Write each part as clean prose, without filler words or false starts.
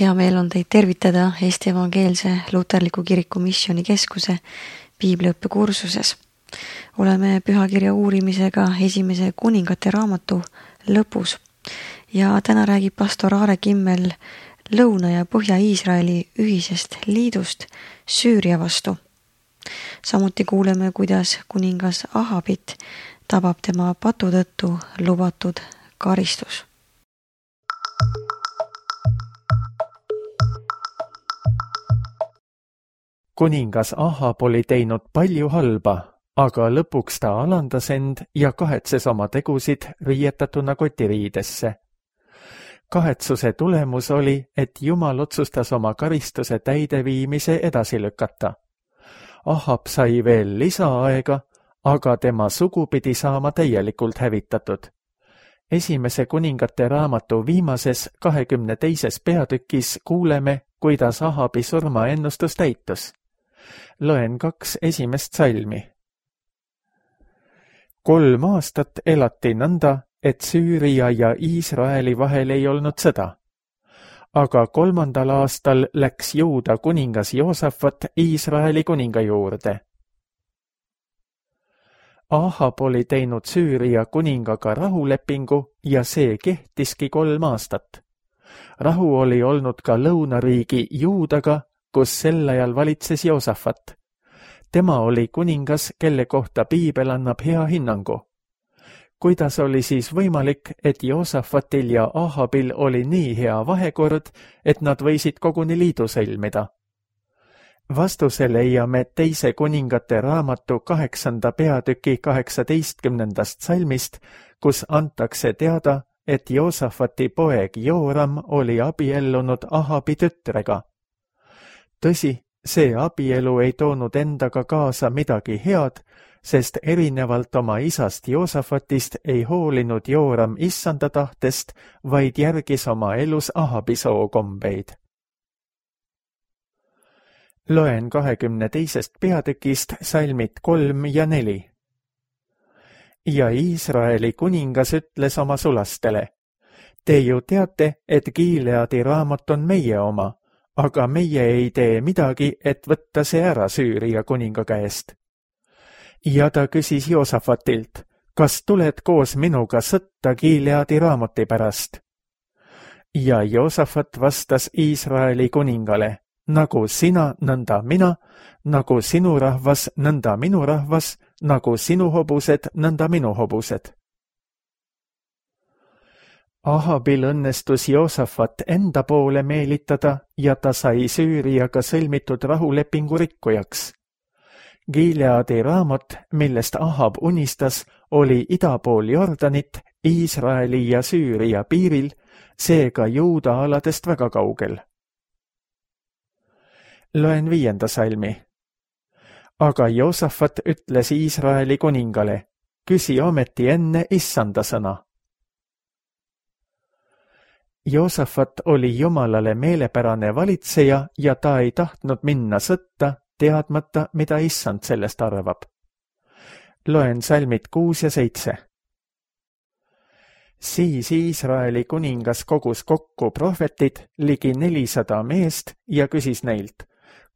Hea meel on teid tervitada Eesti Evangeelse Luterliku Kiriku Missioonikeskuse piibliõppekursuses. Oleme pühakirja uurimisega esimese kuningate raamatu lõpus ja täna räägib pastor Aare Kimmel Lõuna- ja Põhja-Iisraeli ühisest liidust Süüria vastu. Samuti kuuleme, kuidas kuningas Ahabit tabab tema patu tõttu lubatud karistus. Kuningas Ahab oli teinud palju halba, aga lõpuks ta alandas end ja kahetses oma tegusid riietatuna kotiriidesse. Kahetsuse tulemus oli, et Jumal otsustas oma karistuse täideviimise edasi lükata. Ahab sai veel lisaaega, aga tema sugu pidi saama täielikult hävitatud. Esimese kuningate raamatu viimases 22. peatükis kuuleme, kuidas Ahabi surmaennustus täitus. Loen 2 esimest salmi. 3 aastat elati nõnda, et Süüria ja Iisraeli vahel ei olnud sõda. Aga 3. aastal läks Juuda kuningas Joosafat Iisraeli kuninga juurde. Ahab oli teinud Süüria kuningaga rahulepingu ja see kehtiski 3 aastat. Rahu oli olnud ka lõunariigi Juudaga, kus sel ajal valitses Joosafat. Tema oli kuningas, kelle kohta piibel annab hea hinnangu. Kuidas oli siis võimalik, et Joosafatil ja Ahabil oli nii hea vahekord, et nad võisid koguni liidu sõlmida? Vastuse leiame 2. kuningate raamatu 8. peatüki 18. salmist, kus antakse teada, et Joosafati poeg Jooram oli abiellunud Ahabi tütrega. Tõsi, see abielu ei toonud endaga kaasa midagi head, sest erinevalt oma isast Joosafatist ei hoolinud Jooram issanda tahtest, vaid järgis oma elus Ahabi sookombeid. Loen 22. peatükist salmid 3 ja 4. Ja Iisraeli kuningas ütles oma sulastele: Te ju teate, et Gileadi raamat on meie oma, aga meie ei tee midagi, et võtta see ära Süüria kuninga käest. Ja ta küsis Joosafatilt: Kas tuled koos minuga sõtta Gileadi raamati pärast? Ja Joosafat vastas Iisraeli kuningale: Nagu sina, nõnda mina, nagu sinu rahvas, nõnda minu rahvas, nagu sinu hobused, nõnda minu hobused. Ahabil õnnestus Joosafat enda poole meelitada ja ta sai Süüriaga sõlmitud rahulepingu rikkujaks. Gileadi raamat, millest Ahab unistas, oli ida pool Jordanit, Iisraeli ja Süüria piiril, seega Juuda aladest väga kaugel. Loen 5. salmi. Aga Joosafat ütles Iisraeli kuningale: Küsi ometi enne issanda sõna. Joosafat oli Jumalale meelepärane valitseja ja ta ei tahtnud minna sõtta, teadmata, mida issand sellest arvab. Loen salmid 6 ja 7. Siis Iisraeli kuningas kogus kokku prohvetid, ligi 400 meest, ja küsis neilt: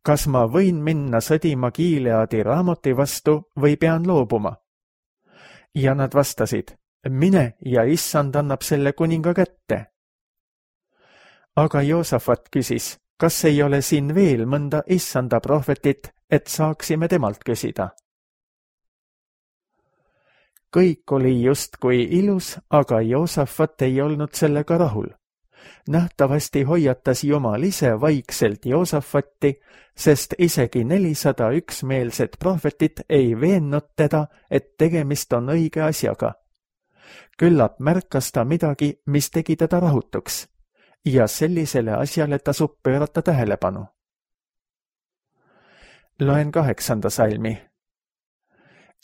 Kas ma võin minna sõdima Gileadi raamati vastu või pean loobuma? Ja nad vastasid: Mine ja issand annab selle kuninga kätte. Aga Joosafat küsis: Kas ei ole siin veel mõnda issanda prohvetit, et saaksime temalt küsida? Kõik oli justkui ilus, aga Joosafat ei olnud sellega rahul. Nähtavasti hoiatas Jumal ise vaikselt Joosafatti, sest isegi 400 üksmeelset prohvetit ei veennud teda, et tegemist on õige asjaga. Küllap märkas ta midagi, mis tegi teda rahutuks, ja sellisele asjale tasub pöörata tähelepanu. Loen 8. salmi.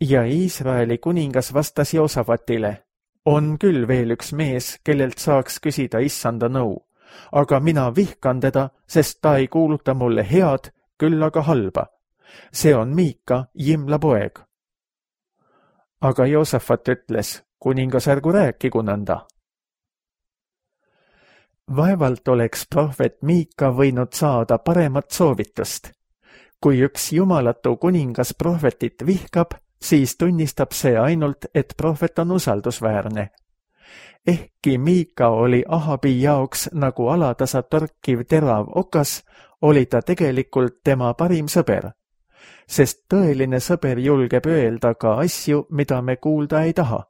Ja Iisraeli kuningas vastas Joosafatile: On küll veel üks mees, kellelt saaks küsida issanda nõu, aga mina vihkan teda, sest ta ei kuuluta mulle head, küll aga halba. See on Miika, Jimla poeg. Aga Joosafat ütles: Kuningas, ärgu rääkigu nõnda. Vaevalt oleks prohvet Miika võinud saada paremat soovitust. Kui üks jumalatu kuningas prohvetit vihkab, siis tunnistab see ainult, et prohvet on usaldusväärne. Ehkki Miika oli Ahabi jaoks nagu alatasa torkiv terav okas, oli ta tegelikult tema parim sõber. Sest tõeline sõber julgeb öelda ka asju, mida me kuulda ei taha.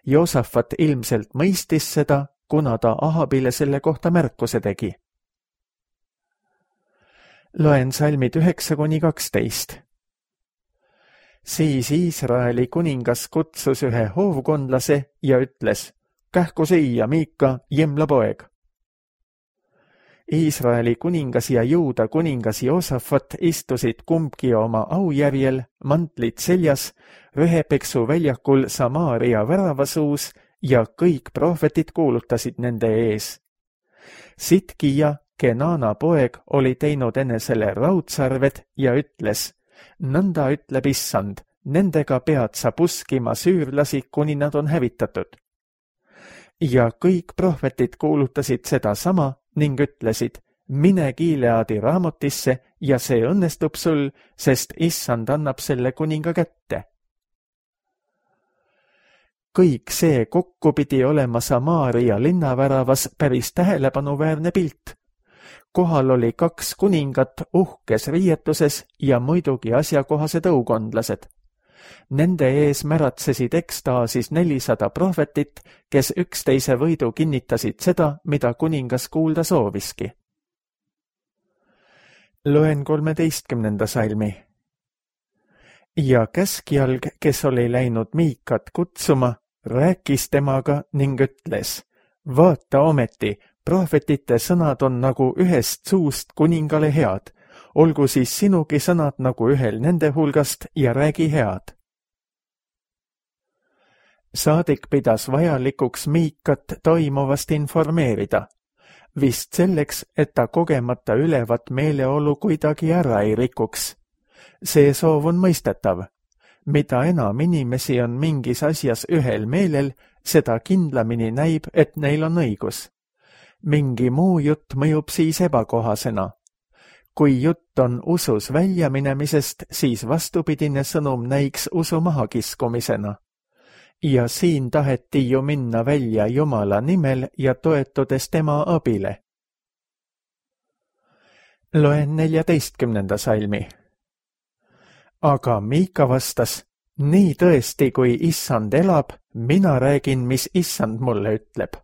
Joosafat ilmselt mõistis seda, kuna ta Ahabile selle kohta märkuse tegi. Loen salmid 9-12. Siis Iisraeli kuningas kutsus ühe hoovkondlase ja ütles, kähku siia, Miika, Jimla poeg. Iisraeli kuningas ja Juuda kuningas Joosafat istusid kumbki oma aujärjel, mantlid seljas, Rühepeksu väljakul Samaaria väravasuus ja kõik prohvetid kuulutasid nende ees. Sitkija, Kenana poeg, oli teinud enesele raudsarved ja ütles, nõnda ütleb Issand, nendega pead sa puskima süürlasi, kuni nad on hävitatud. Ja kõik prohvetid kuulutasid seda sama ning ütlesid, mine Gileadi raamotisse ja see õnnestub sul, sest Issand annab selle kuninga kätte. Kõik see kokku pidi olema Samaaria linnaväravas päris tähelepanuväärne pilt. Kohal oli 2 kuningat uhkes riietuses ja muidugi asjakohased õukondlased. Nende ees märatsesid ekstaasis 400 prohvetit, kes üksteise võidu kinnitasid seda, mida kuningas kuulda sooviski. Loen 13. salmi. Ja käskjalg, kes oli läinud Miikat kutsuma, rääkis temaga ning ütles, vaata ometi, prohvetite sõnad on nagu ühest suust kuningale head, olgu siis sinugi sõnad nagu ühel nende hulgast ja räägi head. Saadik pidas vajalikuks Miikat toimuvast informeerida, vist selleks, et ta kogemata ülevat meeleolu kuidagi ära ei rikuks. See soov on mõistetav. Mida enam inimesi on mingis asjas ühel meelel, seda kindlamini näib, et neil on õigus. Mingi muu jutt mõjub siis ebakohasena. Kui jutt on usus väljaminemisest, siis vastupidine sõnum näiks usu mahakiskumisena. Ja siin taheti ju minna välja Jumala nimel ja toetudes tema abile. Loen 14. salmi. Aga Miika vastas, nii tõesti, kui Issand elab, mina räägin, mis Issand mulle ütleb.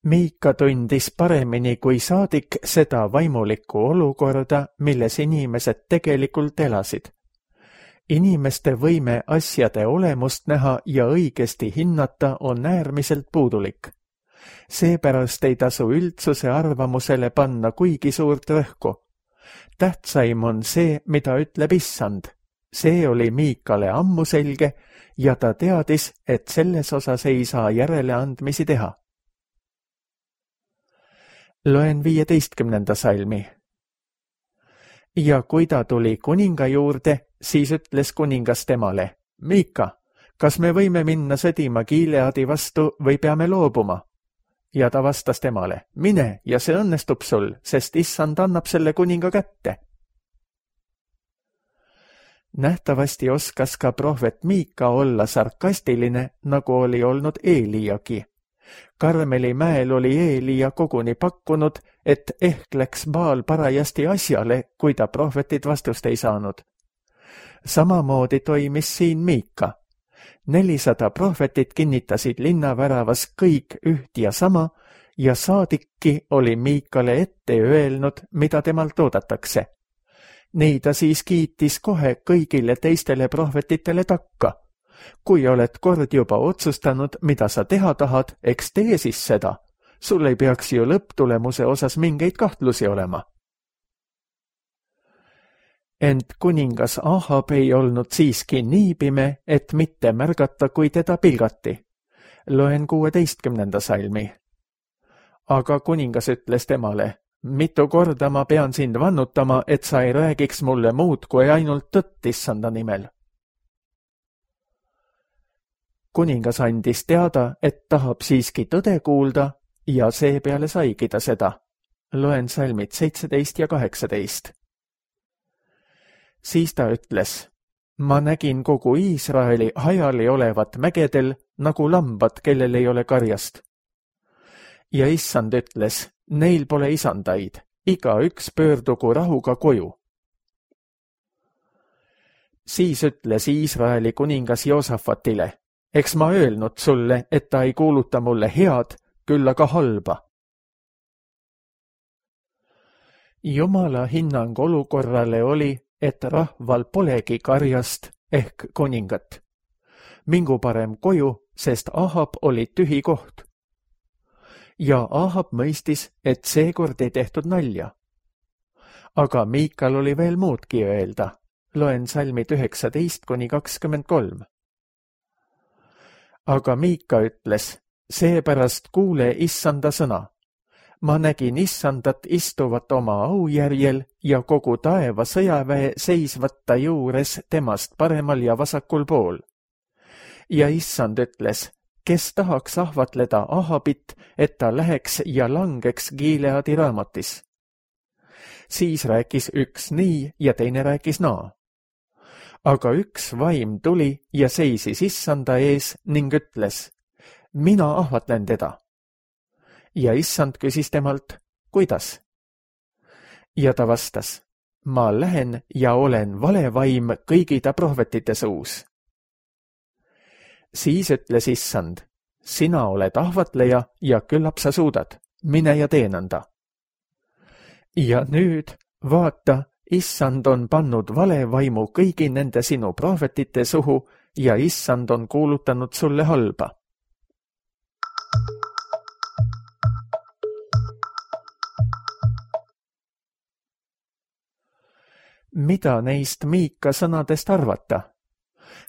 Miika tundis paremini kui saadik seda vaimulikku olukorda, milles inimesed tegelikult elasid. Inimeste võime asjade olemust näha ja õigesti hinnata on äärmiselt puudulik. Seepärast ei tasu üldsuse arvamusele panna kuigi suurt rõhku. Tähtsaim on see, mida ütleb Issand. See oli Miikale ammu selge ja ta teadis, et selles osas ei saa järeleandmisi teha. Loen 15. salmi. Ja kui ta tuli kuninga juurde, siis ütles kuningas temale, Miika, kas me võime minna sõdima Gileadi vastu või peame loobuma? Ja ta vastas temale, mine ja see õnnestub sul, sest Issand annab selle kuninga kätte. Nähtavasti oskas ka prohvet Miika olla sarkastiline, nagu oli olnud Eeliagi. Karmeli mäel oli Eelia koguni pakkunud, et ehk läks Baal parajasti asjale, kui ta prohvetid vastust ei saanud. Samamoodi toimis siin Miika. 400 prohvetit kinnitasid linnaväravas kõik üht ja sama ja saadikki oli Miikale ette öelnud, mida temalt oodatakse. Nii ta siis kiitis kohe kõigile teistele prohvetitele takka. Kui oled kord juba otsustanud, mida sa teha tahad, eks tee siis seda. Sul ei peaks ju lõpptulemuse osas mingeid kahtlusi olema. Ent kuningas Ahab ei olnud siiski nii pime, et mitte märgata, kui teda pilgati. Loen 16. salmi. Aga kuningas ütles temale, mitu korda ma pean sind vannutama, et sa ei räägiks mulle muud kui ainult tõtt Issanda nimel. kuningas andis teada, et tahab siiski tõde kuulda ja seepeale saigi ta seda. Loen salmid 17 ja 18. Siis ta ütles, ma nägin kogu Iisraeli hajali olevat mägedel nagu lambad, kellel ei ole karjast. Ja issand ütles, neil pole isandaid, igaüks pöördugu rahuga koju. Siis ütles Iisraeli kuningas Joosafatile, eks ma öelnud sulle, et ta ei kuuluta mulle head, küll aga halba. Jumala hinnang olukorrale oli, et rahval polegi karjast ehk kuningat. Mingu parem koju, sest Ahab oli tühi koht. Ja Ahab mõistis, et seekord ei tehtud nalja. Aga Miikal oli veel muudki öelda. Loen salmid 19-23. Aga Miika ütles, seepärast kuule issanda sõna. Ma nägin issandat istuvat oma aujärjel ja kogu taeva sõjaväe seisvat ta juures temast paremal ja vasakul pool. Ja issand ütles, kes tahaks ahvatleda Ahabit, et ta läheks ja langeks Gileadi Raamotis. Siis rääkis üks nii ja teine rääkis naa. Aga üks vaim tuli ja seisis issanda ees ning ütles, mina ahvatlen teda. Ja issand küsis temalt, kuidas? Ja ta vastas, ma lähen ja olen valevaim kõigi ta prohvetite suus. Siis ütles issand, sina oled ahvatleja ja küllap sa suudad, mine ja tee nõnda. Ja nüüd, vaata, issand on pannud valevaimu kõigi nende sinu prohvetite suhu ja issand on kuulutanud sulle halba. Mida neist Miika sõnadest arvata?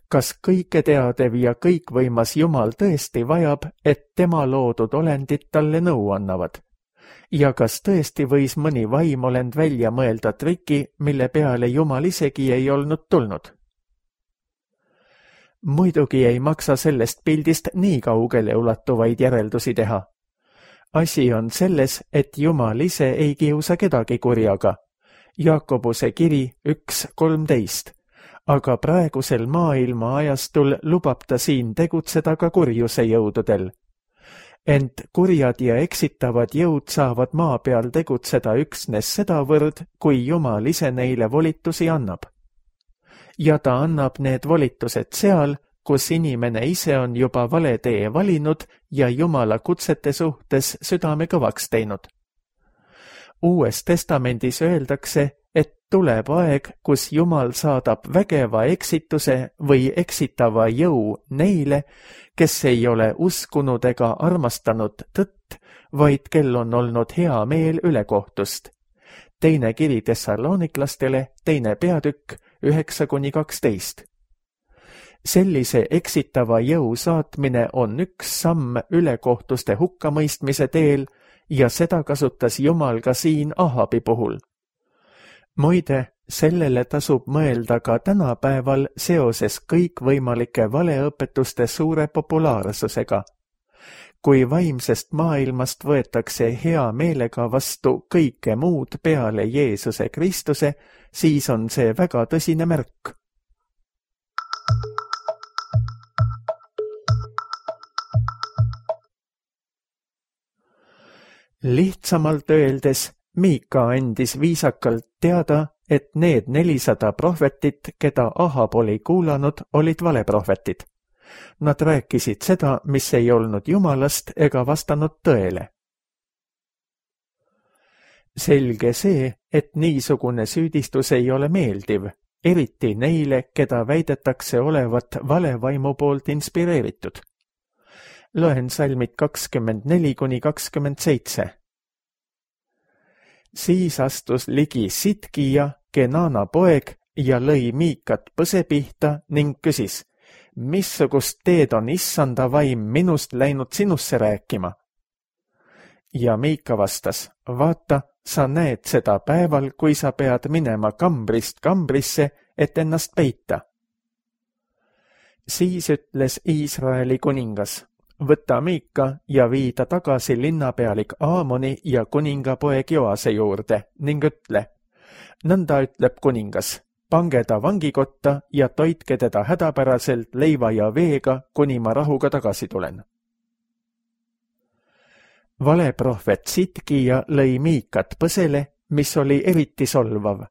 Kas kõiketeadev ja kõikvõimas Jumal tõesti vajab, et tema loodud olendid talle nõu annavad? Ja kas tõesti võis mõni vaimolend välja mõelda triki, mille peale Jumal isegi ei olnud tulnud? Muidugi ei maksa sellest pildist nii kaugele ulatuvaid järeldusi teha. Asi on selles, et Jumal ise ei kiusa kedagi kurjaga. Jaakobuse kiri 1.13, aga praegusel maailma ajastul lubab ta siin tegutseda ka kurjuse jõududel. Ent kurjad ja eksitavad jõud saavad maa peal tegutseda üksnes sedavõrd, kui Jumal ise neile volitusi annab. Ja ta annab need volitused seal, kus inimene ise on juba vale tee valinud ja Jumala kutsete suhtes südame kõvaks teinud. Uues testamendis öeldakse, et tuleb aeg, kus Jumal saadab vägeva eksituse või eksitava jõu neile, kes ei ole uskunud ega armastanud tõtt, vaid kel on olnud hea meel ülekohtust. Teine kiri Thessaloniklastele, 2. peatükk, 9-12. Sellise eksitava jõu saatmine on üks samm ülekohtuste hukkamõistmise teel ja seda kasutas Jumal ka siin Ahabi puhul. Muide, sellele tasub mõelda ka tänapäeval seoses kõikvõimalike valeõpetuste suure populaarsusega. Kui vaimsest maailmast võetakse hea meelega vastu kõike muud peale Jeesuse Kristuse, siis on see väga tõsine märk. Lihtsamalt öeldes, Miika andis viisakalt teada, et need 400 prohvetit, keda Ahab oli kuulanud, olid valeprohvetid. Nad rääkisid seda, mis ei olnud Jumalast ega vastanud tõele. Selge see, et niisugune süüdistus ei ole meeldiv, eriti neile, keda väidetakse olevat valevaimu poolt inspireeritud. Loen salmid 24-27. Siis astus ligi Sitkija, Kenana poeg, ja lõi Miikat põse pihta ning küsis, missugust teed on issanda vaim minust läinud sinusse rääkima? Ja Miika vastas, vaata, sa näed seda päeval, kui sa pead minema kambrist kambrisse, et ennast peita. Siis ütles Iisraeli kuningas, võta Miika ja vii ta tagasi linnapealik Aamoni ja kuningapoeg Joase juurde ning ütle, nõnda ütleb kuningas, pange ta vangikotta ja toitke teda hädapäraselt leiva ja veega, kuni ma rahuga tagasi tulen. Valeprohvet Sitkija lõi Miikat põsele, mis oli eriti solvav,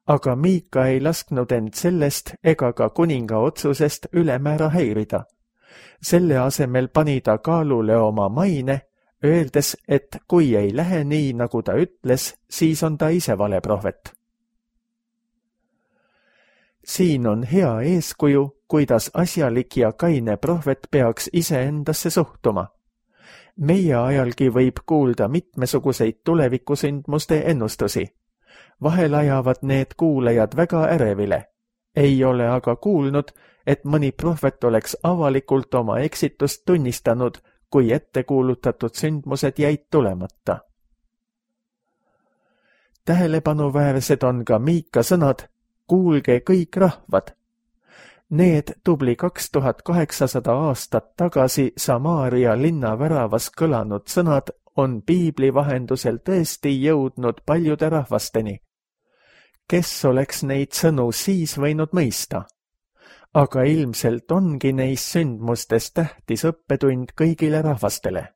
aga Miika ei lasknud end sellest ega ka kuninga otsusest ülemäära häirida. Selle asemel pani ta kaalule oma maine, öeldes, et kui ei lähe nii, nagu ta ütles, siis on ta ise valeprohvet. Siin on hea eeskuju, kuidas asjalik ja kaine prohvet peaks iseendasse suhtuma. Meie ajalgi võib kuulda mitmesuguseid tulevikusündmuste ennustusi. Vahel ajavad need kuulajad väga ärevile. Ei ole aga kuulnud, et mõni prohvet oleks avalikult oma eksitust tunnistanud, kui ettekuulutatud sündmused jäid tulemata. Tähelepanuväärsed on ka Miika sõnad, kuulge kõik rahvad. Need tubli 2800 aastat tagasi Samaaria linna väravas kõlanud sõnad on piibli vahendusel tõesti jõudnud paljude rahvasteni. Kes oleks neid sõnu siis võinud mõista? Aga ilmselt ongi neis sündmustes tähtis õppetund kõigile rahvastele.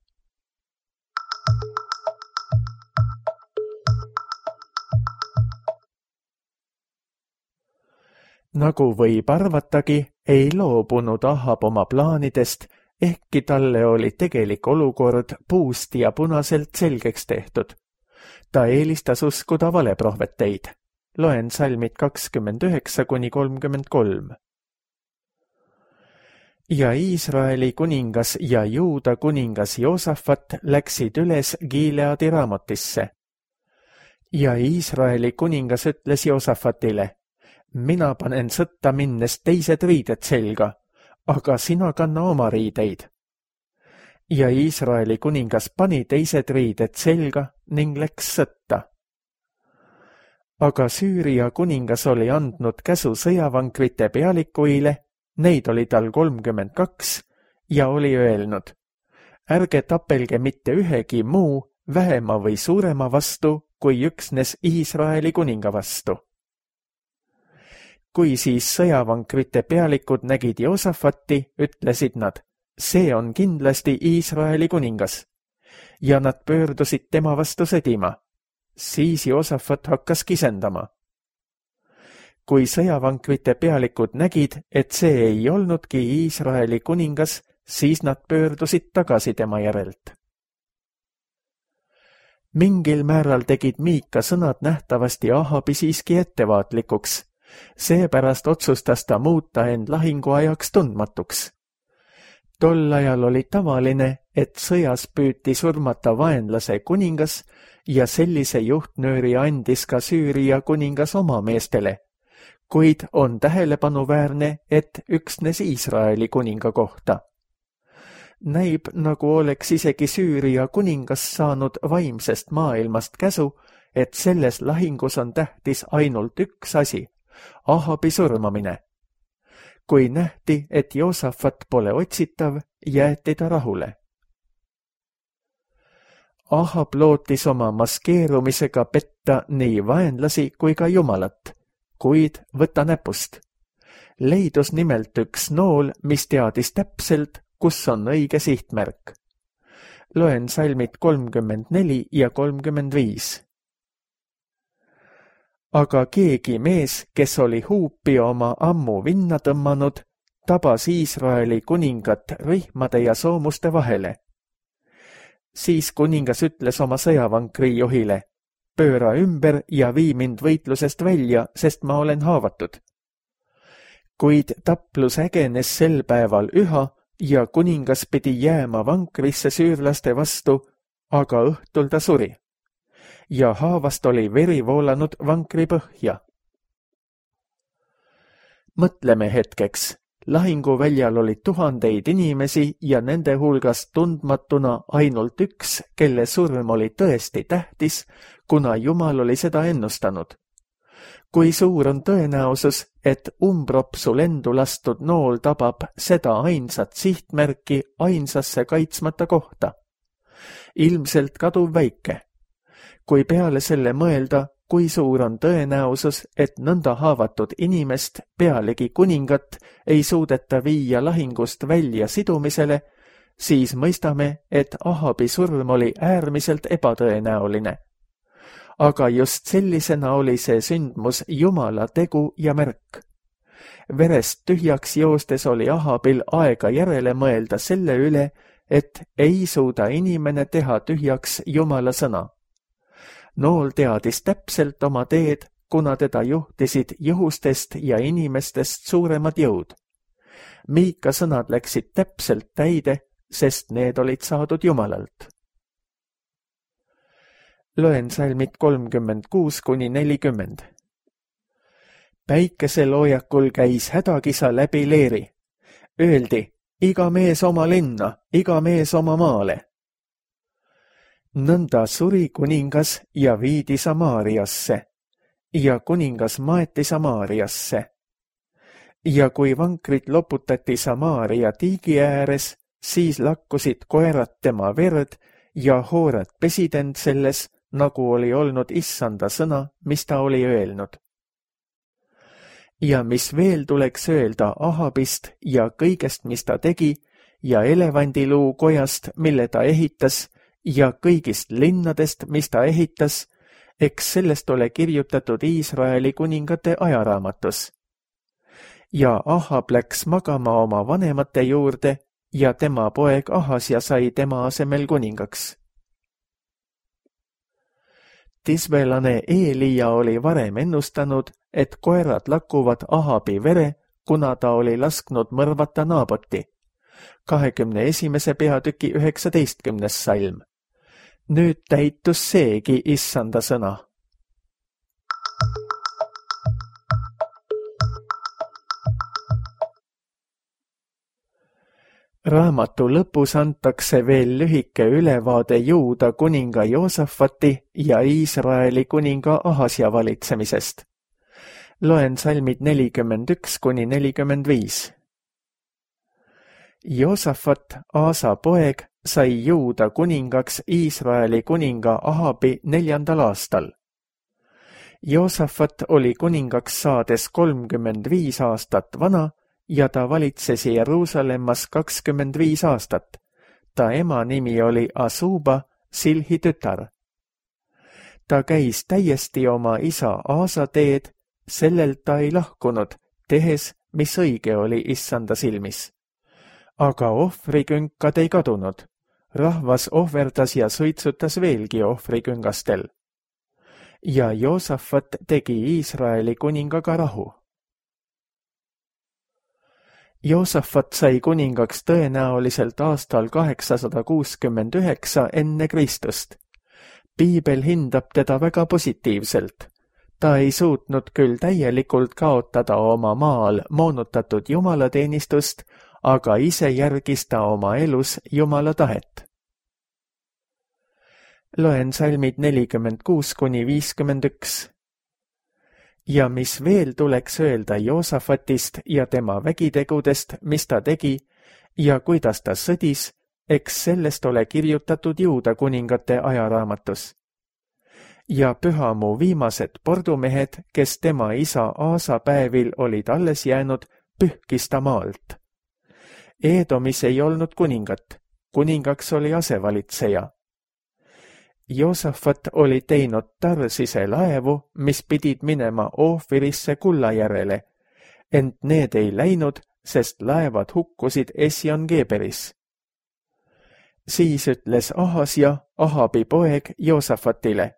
Nagu võib arvatagi, ei loobunud Ahab oma plaanidest, ehkki talle oli tegelik olukord puust ja punaselt selgeks tehtud. Ta eelistas uskuda valeprohveteid. Loen salmid 29–33. Ja Iisraeli kuningas ja Juuda kuningas Joosafat läksid üles Gileadi Raamotisse. Ja Iisraeli kuningas ütles Joosafatile, mina panen sõtta minnes teised riided selga, aga sina kanna oma riideid. Ja Iisraeli kuningas pani teised riided selga ning läks sõtta. Aga Süüria kuningas oli andnud käsu sõjavankrite pealikuile, neid oli tal 32, ja oli öelnud, ärge tapelge mitte ühegi muu, vähema või suurema vastu, kui üksnes Iisraeli kuninga vastu. Kui siis sõjavankrite pealikud nägid Joosafati, ütlesid nad, see on kindlasti Iisraeli kuningas. Ja nad pöördusid tema vastu sõdima. Siis Joosafat hakkas kisendama. Kui sõjavankrite pealikud nägid, et see ei olnudki Iisraeli kuningas, siis nad pöördusid tagasi tema järelt. Mingil määral tegid Miika sõnad nähtavasti Ahabi siiski ettevaatlikuks. Seepärast otsustas ta muuta end lahinguajaks tundmatuks. Tol ajal oli tavaline, et sõjas püüti surmata vaenlase kuningas ja sellise juhtnööri andis ka Süüria kuningas oma meestele, kuid on tähelepanuväärne, et üksnes Iisraeli kuninga kohta. Näib, nagu oleks isegi Süüria kuningas saanud vaimsest maailmast käsu, et selles lahingus on tähtis ainult üks asi, Ahabi surmamine. Kui nähti, et Joosafat pole otsitav, jäeti ta rahule. Ahab lootis oma maskeerumisega petta nii vaenlasi kui ka Jumalat, kuid võta näpust. Leidus nimelt üks nool, mis teadis täpselt, kus on õige sihtmärk. Loen salmid 34 ja 35. Aga keegi mees, kes oli huupi oma ammu vinna tõmmanud, tabas Iisraeli kuningat rihmade ja soomuste vahele. Siis kuningas ütles oma sõjavankri juhile, pööra ümber ja vii mind võitlusest välja, sest ma olen haavatud. Kuid taplus ägenes sel päeval üha ja kuningas pidi jääma vankrisse süürlaste vastu, aga õhtul ta suri. Ja haavast oli veri voolanud vankri põhja. Mõtleme hetkeks, lahinguväljal oli tuhandeid inimesi ja nende hulgast tundmatuna ainult üks, kelle surm oli tõesti tähtis, kuna Jumal oli seda ennustanud. Kui suur on tõenäosus, et umbropsu lendu lastud nool tabab seda ainsat sihtmärki ainsasse kaitsmata kohta? Ilmselt kaduv väike. Kui peale selle mõelda, kui suur on tõenäosus, et nõnda haavatud inimest, pealegi kuningat, ei suudeta viia lahingust välja sidumisele, siis mõistame, et Ahabi surm oli äärmiselt ebatõenäoline. Aga just sellisena oli see sündmus Jumala tegu ja märk. Verest tühjaks joostes oli Ahabil aega järele mõelda selle üle, et ei suuda inimene teha tühjaks Jumala sõna. Nool teadis täpselt oma teed, kuna teda juhtisid juhustest ja inimestest suuremad jõud. Miika sõnad läksid täpselt täide, sest need olid saadud Jumalalt. Loen salmid 36–40. Päikeseloojakul käis hädakisa läbi leeri. Öeldi, iga mees oma linna, iga mees oma maale. Nõnda suri kuningas ja viidi Samaariasse, ja kuningas maeti Samaariasse. Ja kui vankrid loputati Samaaria tiigi ääres, siis lakkusid koerad tema verd ja hoorad pesid end selles, nagu oli olnud issanda sõna, mis ta oli öelnud. Ja mis veel tuleks öelda Ahabist ja kõigest, mis ta tegi, ja elevandiluu kojast, mille ta ehitas, ja kõigist linnadest, mis ta ehitas, eks sellest ole kirjutatud Iisraeli kuningate ajaraamatus. Ja Ahab läks magama oma vanemate juurde ja tema poeg Ahasja sai tema asemel kuningaks. Tisbelane Eelia oli varem ennustanud, et koerad lakkuvad Ahabi vere, kuna ta oli lasknud mõrvata Naaboti. 21. peatüki 19. salm. Nüüd täitus seegi issanda sõna. Raamatu lõpus antakse veel lühike ülevaade Juuda kuninga Joosafati ja Iisraeli kuninga Ahasja valitsemisest. Loen salmid 41–45. Joosafat, Aasa poeg, sai Juuda kuningaks Iisraeli kuninga Ahabi 4. aastal. Joosafat oli kuningaks saades 35 aastat vana ja ta valitses Jeruusalemmas 25 aastat. Ta ema nimi oli Asuba, Silhi tütar. Ta käis täiesti oma isa Aasa teed, sellelt ta ei lahkunud, tehes, mis õige oli issanda silmis. Aga ohvrikünkad ei kadunud. Rahvas ohverdas ja suitsutas veelgi ohvriküngastel. Ja Joosafat tegi Iisraeli kuningaga rahu. Joosafat sai kuningaks tõenäoliselt aastal 869 enne Kristust. Piibel hindab teda väga positiivselt. Ta ei suutnud küll täielikult kaotada oma maal moonutatud jumalateenistust, aga ise järgis ta oma elus Jumala tahet. Loen salmid 46–51. Ja mis veel tuleks öelda Joosafatist ja tema vägitegudest, mis ta tegi, ja kuidas ta sõdis, eks sellest ole kirjutatud Juuda kuningate ajaraamatus. Ja pühamuu viimased pordumehed, kes tema isa Aasa päevil olid alles jäänud, pühkis ta maalt. Eedomis ei olnud kuningat, kuningaks oli asevalitseja. Joosafat oli teinud Tarsise laevu, mis pidid minema Oofirisse kulla järele, ent need ei läinud, sest laevad hukkusid Esjon-Geberis. Siis ütles Ahasja, Ahabi poeg, Joosafatile,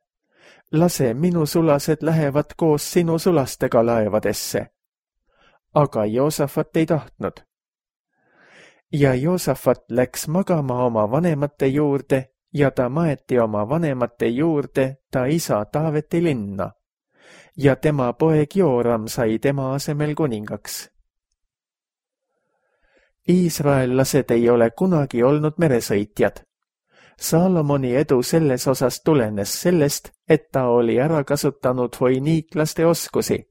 lase minu sulased lähevad koos sinu sulastega laevadesse. Aga Joosafat ei tahtnud. Ja Joosafat läks magama oma vanemate juurde ja ta maeti oma vanemate juurde ta isa Taaveti linna. Ja tema poeg Jooram sai tema asemel kuningaks. Iisraellased ei ole kunagi olnud meresõitjad. Saalomoni edu selles osas tulenes sellest, et ta oli ära kasutanud foiniiklaste oskusi.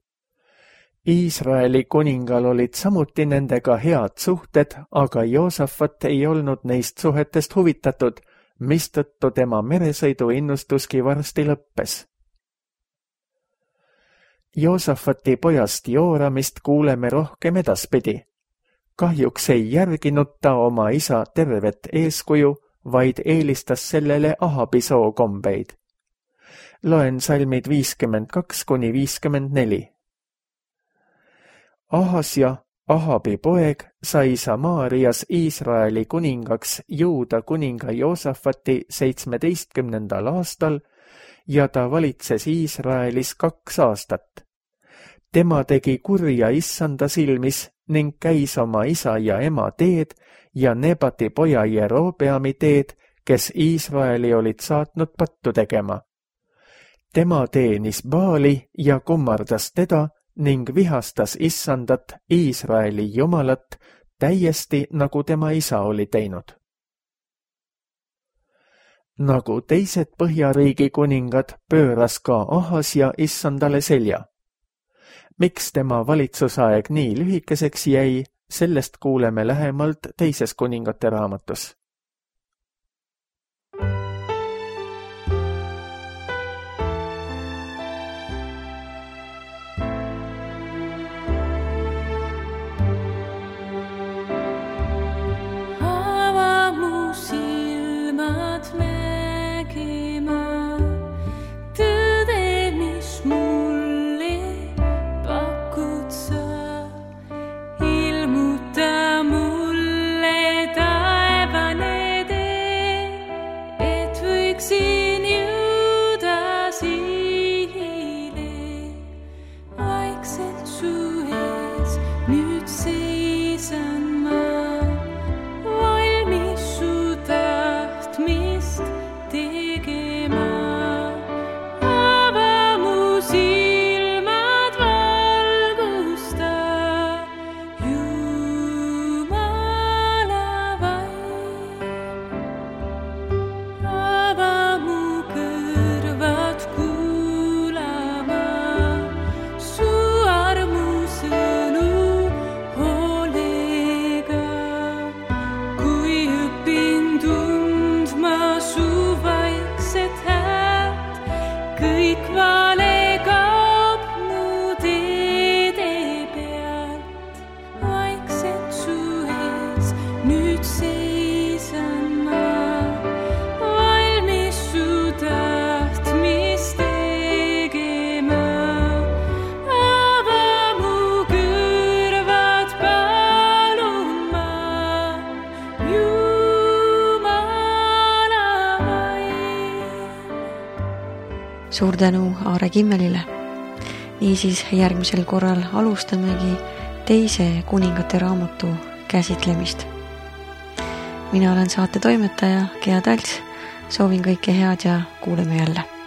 Iisraeli kuningal olid samuti nendega head suhted, aga Joosafat ei olnud neist suhetest huvitatud, mistõttu tema meresõidu innustuski varsti lõppes. Joosafati pojast Jooramist kuuleme rohkem edaspidi. Kahjuks ei järginud ta oma isa tervet eeskuju, vaid eelistas sellele Ahabi sookombeid. Loen salmid 52–54. Ahasja, Ahabi poeg, sai Samaarias Iisraeli kuningaks Juuda kuninga Joosafati 17. aastal ja ta valitses Iisraelis 2 aastat. Tema tegi kurja issanda silmis ning käis oma isa ja ema teed ja Nebati poja Jerobeami teed, kes Iisraeli olid saatnud pattu tegema. Tema teenis Baali ja kummardas teda ning vihastas issandat Iisraeli jumalat täiesti nagu tema isa oli teinud. Nagu teised Põhjariigi kuningad pööras ka Ahasja issandale selja. Miks tema valitsusaeg nii lühikeseks jäi, sellest kuuleme lähemalt teises kuningate raamatus. Suur tänu Aare Kimmelile. Niisiis järgmisel korral alustamegi teise kuningate raamatu käsitlemist. Mina olen saate toimetaja Gea Talts, soovin kõike head ja kuuleme jälle.